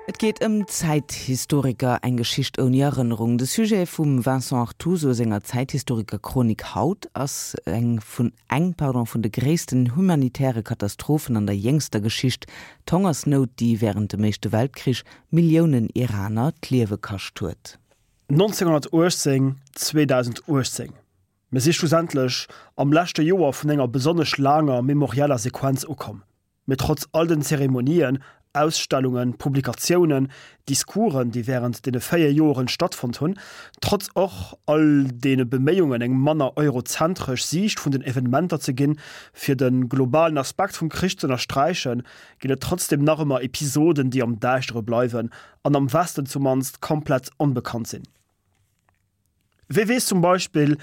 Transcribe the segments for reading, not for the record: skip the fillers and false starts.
Et geet ëm Zäithistoriker, eng Geschicht ouni Erënnerung. De Sujet vum Vincent Artuso senger Zäithistoriker-Chronik haut ass eng vun eng pardon vun de gréissten humanitäre Katastrophen an der jéngster Geschicht, d'Hongersnout, déi wärend dem Éischte Weltkrich Milliounen Iraner d'Liewe kascht huet. 1918, 2018, Mir si schlussendlech am leschte Joer vun enger besonnesch laanger memorieller Sequenz ukomm. Mee trotz all den Zeremonien, Ausstellungen, Publikatiounen, Discoursen, déi wärend deene 4 Joeren stattfonnt hunn, trotz och all deene Beméiungen eng manner eurozentresch Siicht vun den Evenementer ze ginn, fir de globalen Aspekt vum Krich z'ënnersträichen, ginn et trotzdem nach ëmmer Episoden, déi am Däischtere bleiwen an am Westen zumannst komplett onbekannt sinn. Wie weess zum Beispill,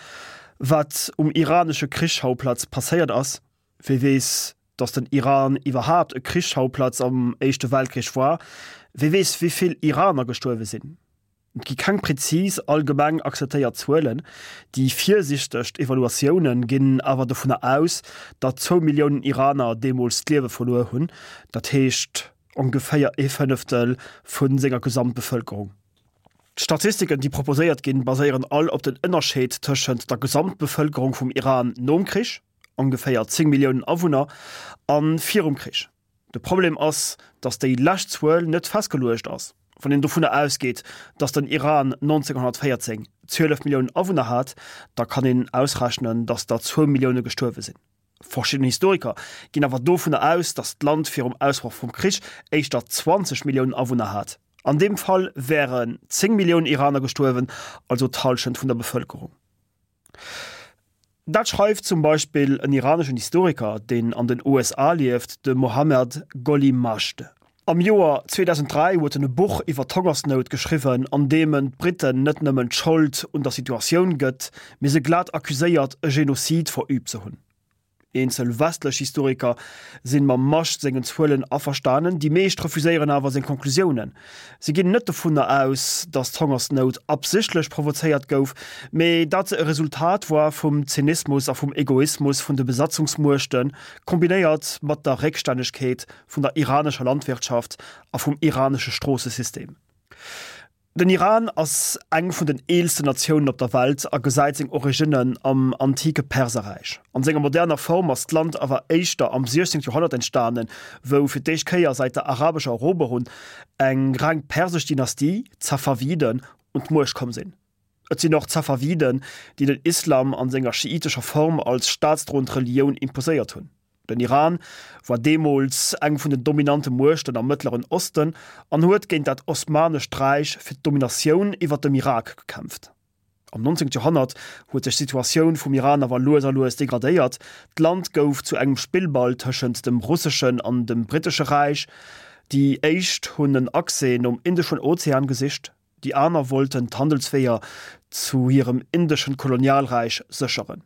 wat um iranesche Krichschauplatz passéiert ass? Wie weess, datt den Iran iwwerhaapt e Krichsschauplatz am Éischte Weltkrich war? Wie weess, wéi vill Iraner gestuerwe sinn? Et gi keng prezis allgemeng akzeptéiert Zuelen. Déi virsiichtegst Evaluatioune ginn awer dovunner aus, datt zwou Milliounen Iraner deemools d'Liewe verluer hunn, dat heescht ongeféier ee Fënneftel vu senger Gesamtbevëlkerung. D'Statistiken, déi proposéiert ginn, baséieren all op den Ënnerscheed tëschent der Gesamtbevëlkerung vum Iran nom Krich, ongeféier 10 Milliounen Awunner, a virum Krich. De Problem ass, datt déi lescht Zuel net festgeluecht ass. Wann een dovunner ausgeet, datt den Iran 1914 12 Milliounen Awunner hat, da kann een ausrechnen, datt der zwou Millioune gestuerwe sinn. Verschidden Historiker ginn awer dovunner aus, datt d'Land virum Ausbroch vum Krich éischter 20 Milliounen Awunner hat. An deem Fall wären 10 Milliounen Iraner gestuerwen, also d'Hallschent vun der Bevëlkerung. Dat schreift zum Beispill en iraneschen Historiker, deen an den USA lieft, de Mohammad Goli-Majd. Am Joer 2003 huet en e Buch iwwer d'Hongersnout geschriwwen, an deem en d'Britten net nëmmen d'Schold un der Situatioun gëtt, mee se glat accuséiert, e Genozid verüübt ze hunn. Eenzel westlech Historiker sinn mam Majd sengen Zuelen averstanen, déi meescht refuséieren awer seng Konklusiounen. Si ginn net dovunner aus, datt d'Hongersnout absichtlech provozéiert gouf, mee dat se e Resultat war vum Zynismus a vum Egoismus vun de Besatzungsmuechten, kombinéiert mat der Réckstännegkeet vun der iranescher Landwirtschaft a vum iranesche Stroossesystem. Den Iran ass eng vun den eelsten Natiounen op der Welt a gesäit seng Originnen am antike Perserräich. An senger moderner Form ass d'Land awer éischter am 16. Joerhonnert entstanen, wou fir d'éischt Kéier säit der arabescher Eroberung eng reng persesch Dynastie, d'Safawiden, un d'Muecht komm sinn. Et sinn och d'Safawiden, déi den Islam an senger schiitescher Form als staatsdroend Relioun imposéiert hunn. Den Iran war deemools eng vun den dominante Muechten am Mëttleren Osten an huet géint dat Osmanescht Räich fir d'Dominatioun iwwer dem Irak gekämpft. Am 19. Joerhonnert huet sech d'Situatioun vum Iran awer lues a lues degradéiert, d'Land gouf zu engem Spillball tëschent dem russeschen an dem brittesche Räich. Déi éischt hunn en Accès nom Indeschen Ozean gesicht, déi aner wollten d'Handelsweeër zu hirem indeschen Kolonialräich sécheren.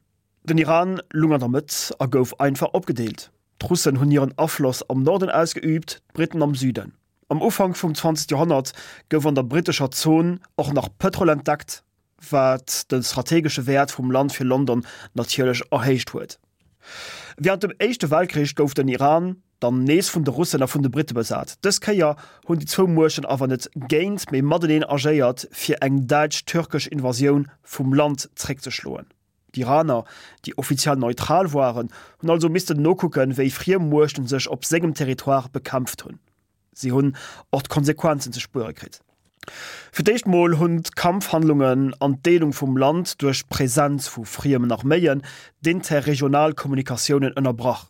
Den Iran lung an der Mëtt a gouf einfach opgedeelt. D'Russen hunn hiren Afloss am Norden ausgeüübt, d'Britten am Süden. Am Ufank vum 20. Joerhonnert gouf an der brittescher Zon och nach Pëtrol entdeckt, wat de strategesche Wäert vum Land fir London natierlech erhéicht huet. Wärend dem Éischte Weltkrich gouf den Iran dann nees vun de Russen a vun de Britte besat. Dës Kéier hunn déi zwou Muechten awer net géint, mee mateneen agéiert, fir eng däitsch-türkesch Invasioun vum Land zréckzeschloen. D'Iraner, déi offiziell neutral waren, hunn also missten nokucken, wéi friem Muechten sech op sengem Territoire bekämpft hunn. Si hunn och d'Konsequenzen ze spuere kritt. Fir d'éischt mol hunn d'Kampfhandlungen an d'Deelung vum Land duerch d'Presenz vu friemen Arméien d'interregional Kommunikatiounen ënnerbrach.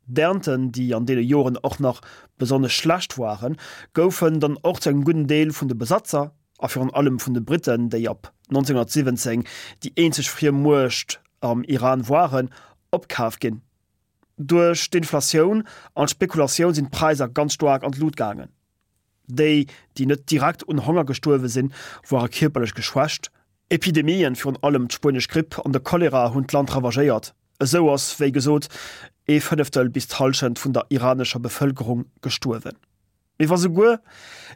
D'Ernten, déi an deene Joren och nach besonnesch schlecht waren, goufen dann och zu engem gudden Deel vun de Besatzer, a virun allem vun de Britten, déi ab 1917 déi eenzeg friem Muecht am Iran waren, opkaf ginn. Duerch d'Inflatioun an d'Spekulatioun sinn d'Präisser ganz staark an d'Lut gaangen. Déi, déi net direkt un Honger gestuerwe sinn, ware kierperlech geschwächt. Epidemien, virun allem d'spuenesch Gripp an de Cholera hunn d'Land ravagéiert. Esou ass, wéi gesot, ee Fënneftel bis d'Hallschent vun der iranescher Bevëlkerung gestuerwen. Mee wa souguer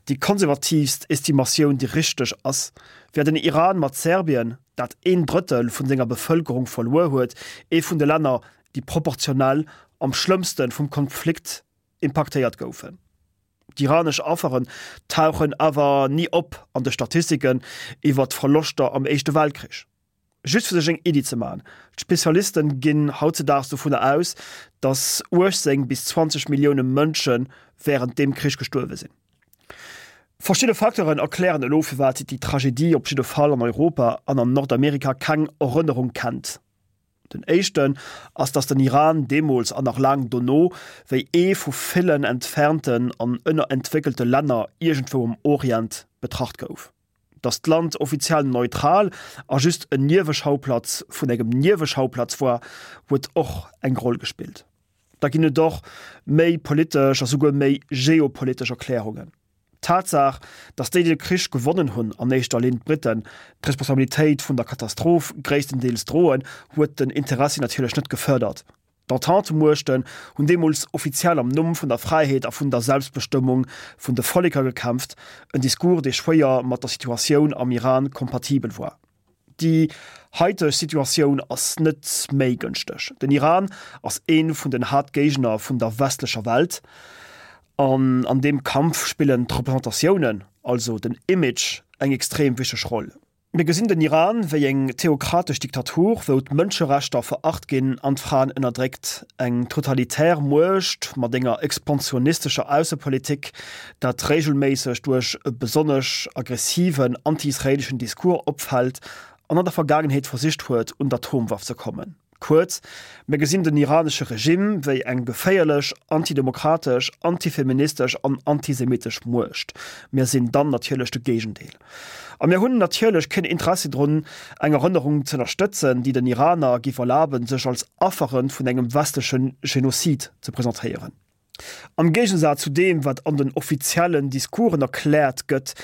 déi konservatiivst Estimatioun déi richteg ass, wär den Iran mat Serbien, dat een Drëttel vun senger Bevëlkerung verluer huet, ee vun de Länner, déi proportionell am schlëmmste vum Konflikt impaktéiert goufen. D'iranesch Afferen tauchen awer ni op an de Statistiken iwwer d'Verloschter am Éischte Weltkrich. Just fir sech eng Iddi ze man, D'Spezialisten ginn hautzedaags dovunner aus, datt 18 bis 20 Millioune Mënsche wärend deem Krich gestuerwe sinn. Verschidde Facteuren erklären elo firwat déi Tragedie op jidde Fall an Europa an an Nordamerika keng Erënnerung kennt. Den éischten ass, datt den Iran deemools an nach laang dono wéi ee vu villen entfernten an ënnerentwéckelte Länner iergendwou am Orient betracht gouf. Datt d'Land offiziell neutral a just en Nieweschauplatz vun engem Nieweschauplatz war, huet och eng Roll gespillt. Da ginn et och méi politesch a souguer méi geopolitesch Erklärungen. D'Tatsaach, datt déi, déi de Krich gewonnen hunn, an éischter Linn d'Briten, d'Responsabilitéit vun der Katastroph gréisstendeels droen, huet den Interessi natierlech net gefërdert. D'Entente-Muechten hunn deemools offiziell am Numm vun der Fräiheet a vun der Selbstbestëmmung vun de Volleker gekämpft, en Discours, dee schwéier mat der Situatioun am Iran kompatibel war. Déi haiteg Situatioun ass net méi gënschteg. Den Iran ass ee vun den Haaptgéigner vun der westlecher Welt an an deem Kampf spillen d'Representatiounen, also den Image, eng extrem wichteg Roll. Mir gesinn den Iran wéi eng theokratesch Diktatur, wou d'Mënscherechter veracht ginn an d'Fraen ënnerdréckt, eng totalitär Muecht mat enger expansionistescher Aussepolitik, dat regelméisseg duerch e besonnesch aggressiven anti-israeleschen Discours opfält an an der Vergaangenheet versicht huet, un d'Atomwaff ze kommen. Kuerz, mir gesinn den iranesche Regime wéi eng geféierlech, antidemokratesch, antifeministesch an antisemitesch Muecht. Mir sinn dann natierlech de Géigendeel. A mir hunn natierlech keen Interessi drun, eng Erënnerung z'ënnerstëtzen, déi den Iraner géif erlaben, sech als Affere vun engem westleche Genozid ze presentéieren. Am Géigesaz zu deem, wat an den offiziellen Discoursen erkläert gëtt,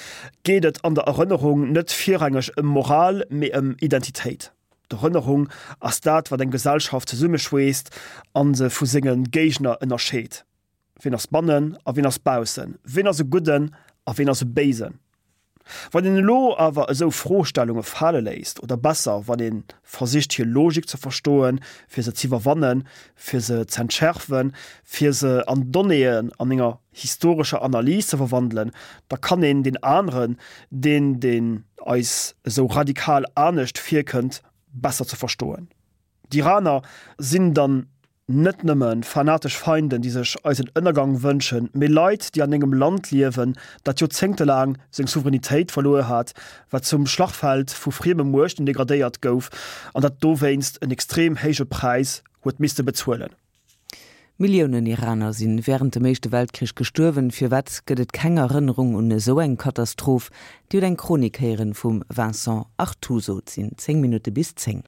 geet et an der Erënnerung net virrangeg ëm Moral, mee ëm Identitéit. D'Erënnerung ass dat, wat eng Gesellschaft zesummeschweesst a se vu senge Géigner ënnerscheet. Wien ass bannen a wien ass baussen? Wien ass e Gudden a wien ass e Béisen? Wann een elo awer esou Froestellunge fale léisst, oder besser, wann ee versicht hir Logik ze verstoen, fir se z'iwwerwannen, fir se z'entschärfen, fir se an Donnéeën an enger historescher Analys ze verwandelen, da kann een deen aneren, deen deen eis esou radikal anescht virkënnt, besser ze verstoen. D'Iraner sinn dann net nëmme fanatesch Feinden, déi sech eisen Ënnergang wënschen, mee Leit, déi an engem Land liewen, dat joerzéngtelaang seng Souveränitéit verluer hat, wat zum Schlachfeld vu frieme Muechten degradéiert gouf an dat dowéinst en extrem héije Präis huet misste bezuelen. Milliounen Iraner sinn wärend dem Éischte Weltkrich gestuerwen. Firwat gëtt et keng Erënnerung un esou eng Katastroph? Dir hutt eng Chronik héieren vum Vincent Artuso. Et sinn 10 Minutte bis 10.